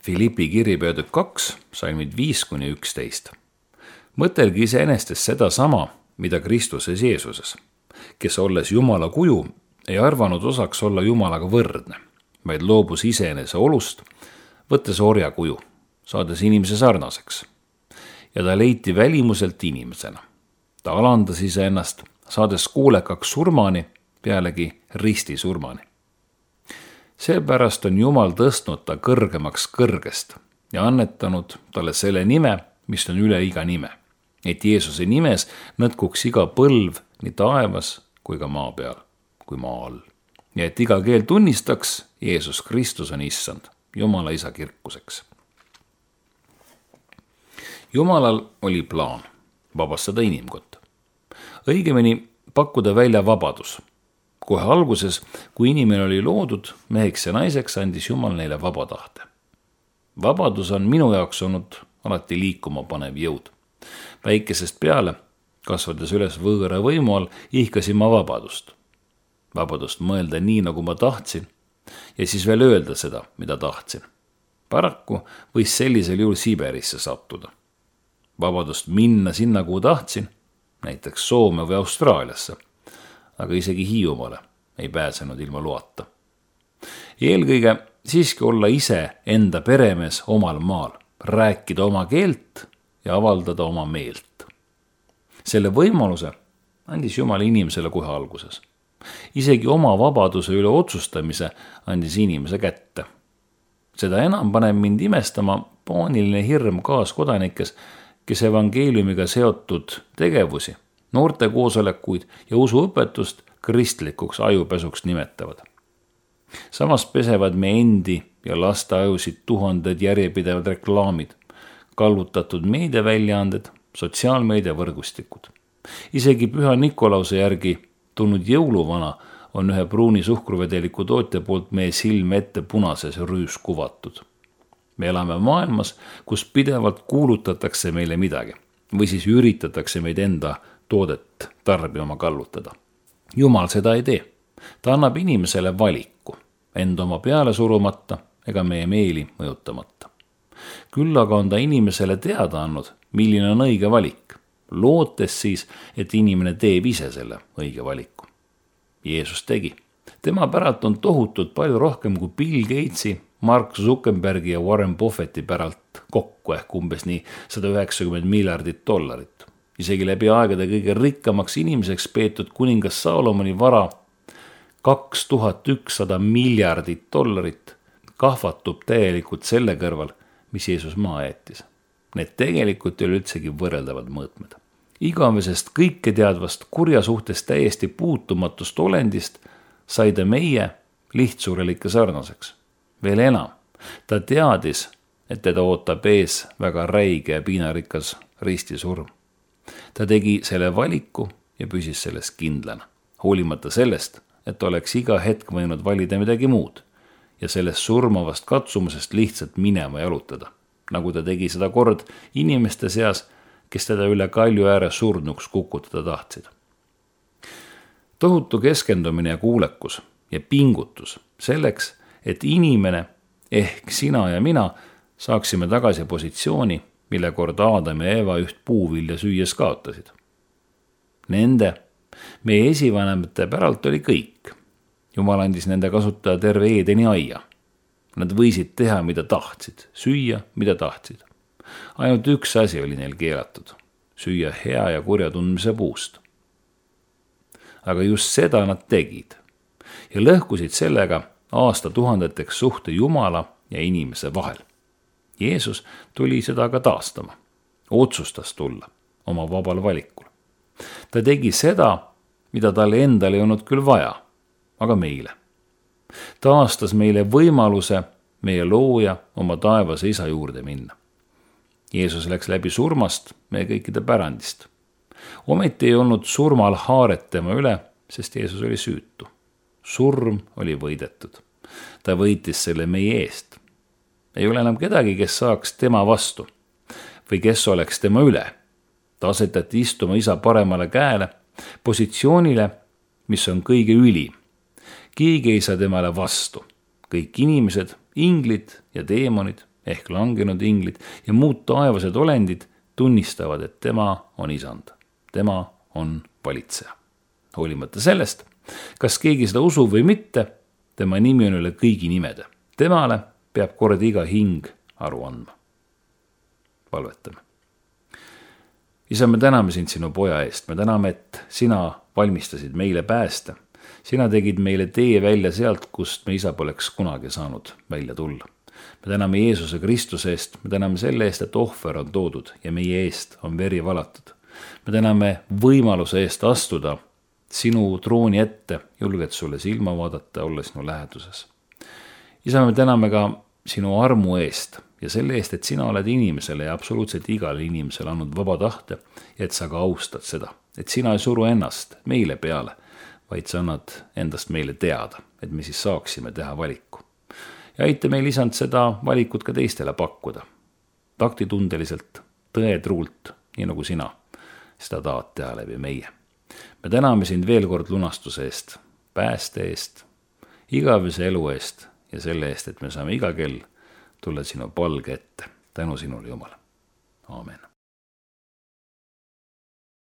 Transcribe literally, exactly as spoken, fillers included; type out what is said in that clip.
Philippi kiri peatükk kaks, salmid viis kuni üksteist. Mõtelgi iseenesest seda sama, mida Kristuses Jeesuses, kes olles Jumala kuju, ei arvanud osaks olla Jumalaga võrdne, vaid loobus iseenese olust, võttes orja kuju, saades inimese sarnaseks. Ja ta leiti välimuselt inimesena. Ta alandas iseennast, saades kuulekaks surmani, pealegi risti surmani. Seepärast on Jumal tõstnud ta kõrgemaks kõrgest ja annetanud talle selle nime, mis on üle iga nime, et Jeesuse nimes nõtkuks iga põlv nii taevas kui ka maa peal, kui maa all. Ja et iga keel tunnistaks, Jeesus Kristus on issand, Jumala isa kirkuseks. Jumalal oli plaan vabastada inimkonda. Õigemini pakkuda välja vabadus. Kohe alguses, kui inimene oli loodud meheks ja naiseks, andis Jumal neile vaba tahte. Vabadus on minu jaoks olnud alati liikuma panev jõud. Väikesest peale, kasvades üles võõra võimu all, ihkasin ma vabadust. Vabadust mõelda nii, nagu ma tahtsin, ja siis veel öelda seda, mida tahtsin. Paraku võis sellisel juhul Siberisse sattuda. Vabadust minna sinna, kuhu tahtsin, näiteks Soome või Austraaliasse, aga isegi Hiiumaale ei pääsenud ilma loata. Eelkõige siiski olla ise enda peremees omal maal, rääkida oma keelt ja avaldada oma meelt. Selle võimaluse andis Jumal inimesele kohe alguses. Isegi oma vabaduse üle otsustamise andis inimese kätte. Seda enam paneb mind imestama paaniline hirm kaaskodanikes, kes evangeeliumiga seotud tegevusi, noorte koosolekuid ja usuõpetust kristlikuks ajupesuks nimetavad. Samas pesevad me endi ja laste ajusid tuhanded järjepidevad reklaamid, kallutatud meediaväljaanded, sotsiaalmeedia võrgustikud. Isegi Püha Nikolause järgi tulnud jõuluvana on ühe pruuni suhkruvedeliku tootja poolt meie silme ette punases rüüs kuvatud. Me elame maailmas, kus pidevalt kuulutatakse meile midagi või siis üritatakse meid enda toodet tarbima kallutada. Jumal seda ei tee. Ta annab inimesele valiku, enda oma peale surumata ega meie meeli mõjutamata. Küll aga on ta inimesele teada andnud, milline on õige valik, lootes siis, et inimene teeb ise selle õige valiku. Jeesus tegi. Tema päralt on tohutult palju rohkem kui Bill Gatesi, Mark Zuckerbergi ja Warren Buffetti päralt kokku ehk umbes nii sada üheksakümmend miljardit dollarit. Isegi läbi aegade kõige rikkamaks inimeseks peetud kuningas Salomoni vara kaks tuhat ükssada miljardit dollarit kahvatub täielikult selle kõrval, mis Jeesus maa jättis. Need tegelikult ei ole üldsegi võrreldavad mõõtmed. Igavesest kõike teadvast kurja suhtes täiesti puutumatust olendist sai ta meie lihtsurelike sarnaseks. Veel enam, ta teadis, et teda ootab ees väga räige ja piinarikas ristisurm. Ta tegi selle valiku ja püsis sellest kindlana, hoolimata sellest, et oleks iga hetk võinud valida midagi muud ja sellest surmavast katsumusest lihtsalt minema jalutada, nagu ta tegi seda kord inimeste seas, kes teda üle kalju ääre surnuks kukutada tahtsid. Tohutu keskendumine ja kuulekus ja pingutus selleks, et inimene ehk sina ja mina saaksime tagasi positsiooni, mille kord Aadam ja Eeva üht puuvilja süües kaotasid. Nende, meie esivanemate päralt oli kõik. Jumal andis nende kasutada terve Eedeni aia. Nad võisid teha, mida tahtsid, süüa, mida tahtsid. Ainult üks asi oli neil keelatud, süüa hea ja kurja tundmise puust. Aga just seda nad tegid ja lõhkusid sellega aastatuhandeteks suhte Jumala ja inimese vahel. Jeesus tuli seda ka taastama, otsustas tulla oma vabal valikul. Ta tegi seda, mida talle endale ei olnud küll vaja, aga meile. Taastas meile võimaluse meie looja oma taevase isa juurde minna. Jeesus läks läbi surmast meie kõikide pärandist. Ometi ei olnud surmal haaret tema üle, sest Jeesus oli süütu. Surm oli võidetud. Ta võitis selle meie eest. Ei ole enam kedagi, kes saaks tema vastu või kes oleks tema üle. Ta asetati istuma isa paremale käele, positsioonile, mis on kõige ülim. Keegi ei saa temale vastu. Kõik inimesed, inglid ja teemonid, ehk langenud inglid ja muud taevased olendid tunnistavad, et tema on isand. Tema on valitseja. Hoolimata sellest, kas keegi seda usub või mitte, tema nimi on üle kõigi nimede. Temale peab kord iga hing aru andma. Palvetame. Isa, me täname sind sinu poja eest. Me täname, et sina valmistasid meile pääste. Sina tegid meile tee välja sealt, kust me isa poleks kunagi saanud välja tulla. Me täname Jeesuse Kristuse eest. Me täname selle eest, et ohver on toodud ja meie eest on veri valatud. Me täname võimaluse eest astuda sinu trooni ette, julged sulle silma vaadata, olla sinu läheduses. Isa, me täname ka sinu armu eest ja selle eest, et sina oled inimesele ja absoluutselt igale inimesele andnud vaba tahte ja et sa ka austad seda. Et sina ei suru ennast meile peale, vaid sa annad endast meile teada, et me siis saaksime teha valiku. Ja aita meil isand seda valikut ka teistele pakkuda. Taktitundeliselt, tõetruult, nii nagu sina seda tahad teha läbi meie. Me täname sind veel kord lunastuse eest, pääste eest, igavese elu eest ja selle eest, et me saame iga kell tulla sinu palge ette. Tänu sinule, Jumal. Aamen.